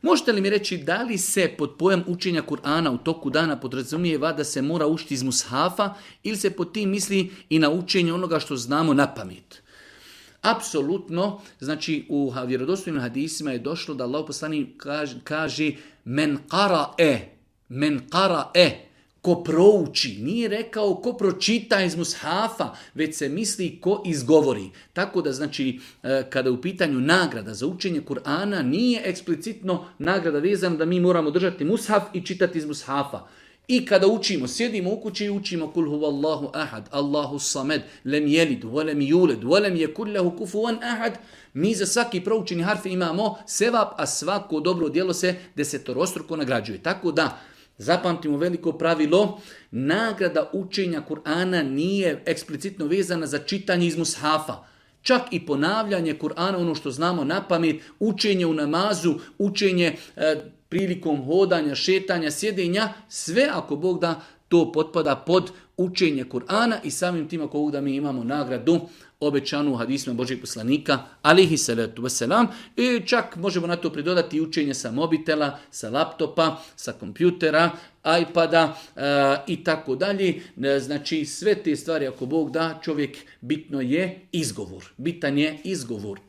Možete li mi reći da li se pod pojam učenja Kur'ana u toku dana podrazumijeva da se mora učiti iz mushafa ili se pod tim misli i na učenje onoga što znamo na pamet? Apsolutno, znači u vjerodostojnim hadisima je došlo da Allah poslanik kaže men qara'e, ko prouči, nije rekao ko pročita iz mushafa, već se misli ko izgovori. Tako da znači kada je u pitanju nagrada za učenje Kur'ana nije eksplicitno nagrada vezana da mi moramo držati mushaf i čitati iz mushafa. I kada učimo, sjedimo u kući i učimo kul huvallahu ahad, Allahu samed, lem jelid, volem juled, volem je kullahu kufuvan ahad, mi za svaki proučeni harf imamo sevap, a svako dobro djelo se desetorostruko nagrađuje. Tako da, zapamtimo veliko pravilo, nagrada učenja Kur'ana nije eksplicitno vezana za čitanje iz mushafa. Čak i ponavljanje Kur'ana, ono što znamo na pamet, učenje u namazu, učenje prilikom hodanja, šetanja, sjedenja, sve ako Bog da to potpada pod učenje Kur'ana i samim tim ako Bog da mi imamo nagradu obećanu u hadisima Božjeg poslanika, alihi salatu wasalam, i čak možemo na to pridodati učenje sa mobitela, sa laptopa, sa kompjutera, iPada i tako dalje. Znači sve te stvari ako Bog da, čovjek bitan je izgovor.